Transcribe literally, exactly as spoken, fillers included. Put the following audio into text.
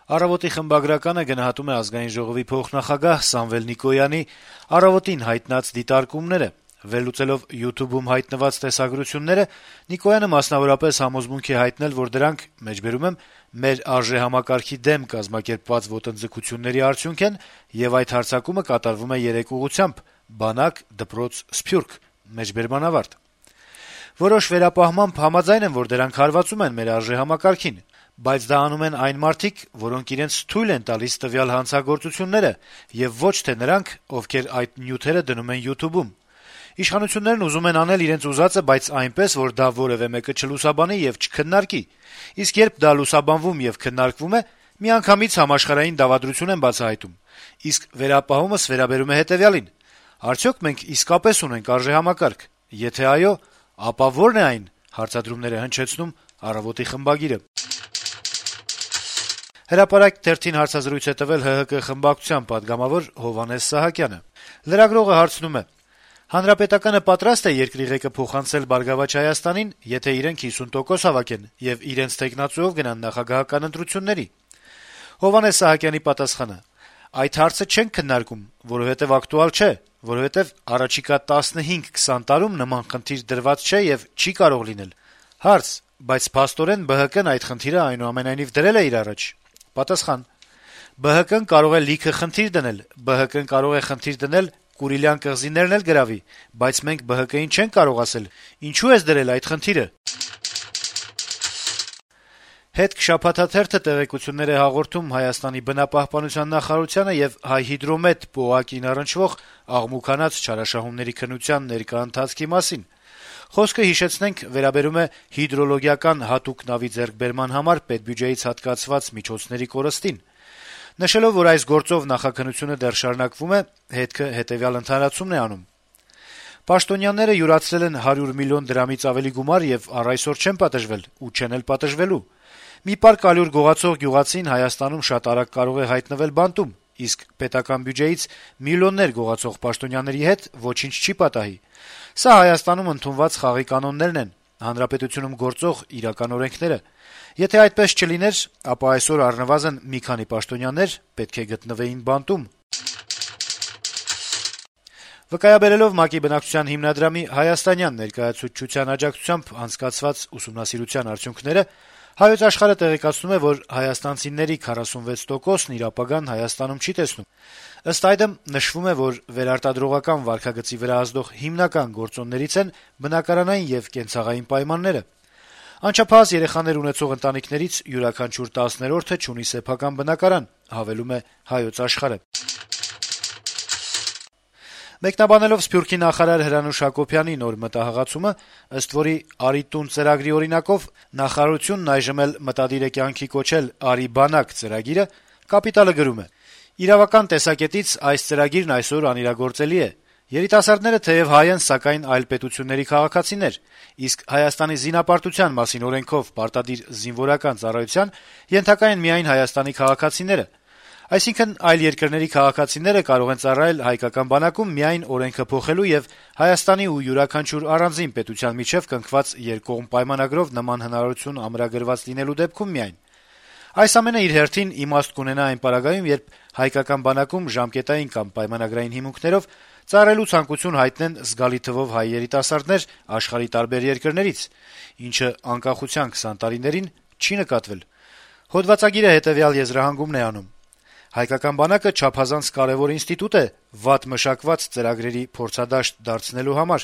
«Առավոտ»-ի խմբագրականը գնահատում է Ազգային ժողովի փոխնախագահ Սամվել Նիկոյանի «Առավոտ»-ին հայտնած դիտարկումները: Վերլուծելով YouTube-ում հայտնված տեսագրությունները, Նիկոյանը մասնավորապես համոզմունք է հայտնել, որ դրանք «մեր արժեհամակարգի դեմ կազմակերպված ոտնձգությունների արդյունք են, եւ այդ հարձակումը կատարվում է երեք ուղղությամբ՝ բանակ, դպրոց, սփյուռք»: Որոշ վերապահմամբ համաձայն եմ, որ դրանք հարվածում են մեր արժեհամակարգին, բայց դա անում են այն մարդիկ, որոնք իրենց թույլ են տալիս տվյալ հանցագործությունները, եւ ոչ թե նրանք, ովքեր այդ նյութերը դնում են YouTube-ում: Իշխանություններն ուզում են անել իրենց ուզածը, բայց այնպես, որ դա որեւէ մեկը չլուսաբանի եւ չքննարկի: Իսկ երբ դա լուսաբանվում եւ քննարկվում է, միանգամից համաշխարհային դավադրություն են բացահայտում: Իսկ վերապահումս վերաբերում է հետեւյալին. արդյոք մենք իսկապես ունենք արժեհամակարգ: Եթե այո, ապա ո՞րն է այն: «Հրապարակ» թերթին հարցազրույց է տվել ՀՀԿ խմբակցության պատգամավոր Հովհաննես Սահակյանը: Լրագրողը հարցնում է. - «Հանրապետականը պատրաստ է երկրի ղեկը փոխանցել «Բարգավաճ Հայաստանին», եթե իրենք հիսուն տոկոս հավաքեն եւ իրենց թեկնածուով գնան նախագահական ընտրությունների»: Հովհաննես Սահակյանի պատասխանը. - «Այդ հարցը չենք քննարկում, որովհետեւ ակտուալ չէ, որովհետեւ առաջիկա տասնհինգ քսան տարում նման խնդիր դրված չէ եւ չի կարող լինել»: Հարց. - «Բայց փաստորեն ԲՀԿ-ն այդ խնդիրը այնուամենայնիվ դրել է իր առաջ»: Պատասխան. - «ԲՀԿ-ն կարող է լիքը խնդիր դնել, ԲՀԿ-ն կարող է խնդիր դնել Կուրիլյան կղզիներն էլ գրավի, բայց մենք ԲՀԿ-ին չենք կարող ասել՝ ինչո՞ւ ես դրել այդ խնդիրը»: «Հետք» շաբաթաթերթը տեղեկություններ է հաղորդում Հայաստանի բնապահպանության նախարարությանը եւ Հայհիդրոմետ պոակին առնչվող աղմուկանաց չարաշահումների քննության ներկա ընթացքի մասին: Խոսքը, հիշեցնենք, վերաբերում է հիդրոլոգիական հատուկ նավի ձեռքբերման համար պետբյուջեից հատկացված միջոցների կորստին: Նշելով, որ այս գործով նախաքննությունը դեռ շարունակվում է, «Հետք»-ը հետեւյալ ընդհանրացումն է անում. - «Պաշտոնյաները յուրացրել են հարյուր միլիոն դրամից ավելի գումար եւ առ այսօր չեն պատժվել ու չեն էլ պատժվելու: Մի պարկ ալյուր գողացող գյուղացին Հայաստանում շատ արագ կարող է հայտնվել բանտում, իսկ պետական բյուջեից միլիոններ գողացող պաշտոնյաների հետ ոչինչ չի պատահի: Սա Հայաստանում ընդունված խաղի կանոններն են, հանրապետությունում գործող իրական օրենքները: Եթե այդպես չլիներ, ապա այսօր առնվազն մի քանի պաշտոնյաներ պետք է գտնվեին բանտում»: Վկայաբերելով ՄԱԿ-ի բնակչության հիմնադրամի հայաստանյան ներկայացուցչության աջակցությամբ անցկացված ուսումնասիրության արդյունքները, «Հայոց Աշխարհ»-ը տեղեկացնում է, որ հայաստանցիների քառասունվեց տոկոսն իր ապագան Հայաստանում չի տեսնում: Ըստ այդմ, նշվում է, որ վերարտադրողական վարքագծի վրա ազդող հիմնական գործոններից են բնակարանային եւ կենցաղային պայմանները: Անչափահաս երեխաներ ունեցող ընտանիքներից յուրաքանչյուր տասներորդը չունի սեփական բնակարան, հավելում է «Հայոց Աշխարհ»-ը: Մեկնաբանելով Սփյուռքի նախարար Հրանուշ Հակոբյանի նոր մտահղացումը, ըստ որի «Արի տուն» ծրագրի օրինակով նախարարությունն այժմ էլ մտադիր է կյանքի կոչել «Արի բանակ» ծրագիրը, «Կապիտալ»-ը գրում է. - «Իրավական տեսակետից այս ծրագիրն այսօր անիրագործելի է: Երիտասարդները թեեւ հայ են, սակայն այլ պետությունների քաղաքացիներ, իսկ Հայաստանի զինապարտության մասին օրենքով պարտադիր զինվորական ծառայության ենթակա են միայն Հայաստանի քաղաքացիները: Այսինքն` այլ երկրների քաղաքացիները կարող են ծառայել հայկական բանակում միայն օրենքը փոխելու եւ Հայաստանի ու յուրաքանչյուր առանձին պետության միջեւ կնքված երկկողմ պայմանագրով նման հնարավորություն ամրագրված լինելու դեպքում միայն: Այս ամենը իր հերթին իմաստ կունենա այն պարագայում, երբ հայկական բանակում ժամկետային կամ պայմանագրային հիմունքներով ծառայելու ցանկություն հայտնեն զգալի թվով հայ երիտասարդներ աշխարհի տարբեր երկրներից, ինչը անկախության քսան տարիներին չի նկատվել»: Հոդվածագիրը հետեւյալ եզրահանգումն է անում. - «Հայկական բանակը չափազանց կարեւոր ինստիտուտ է վատ մշակված ծրագրերի փորձադաշտ դարձնելու համար: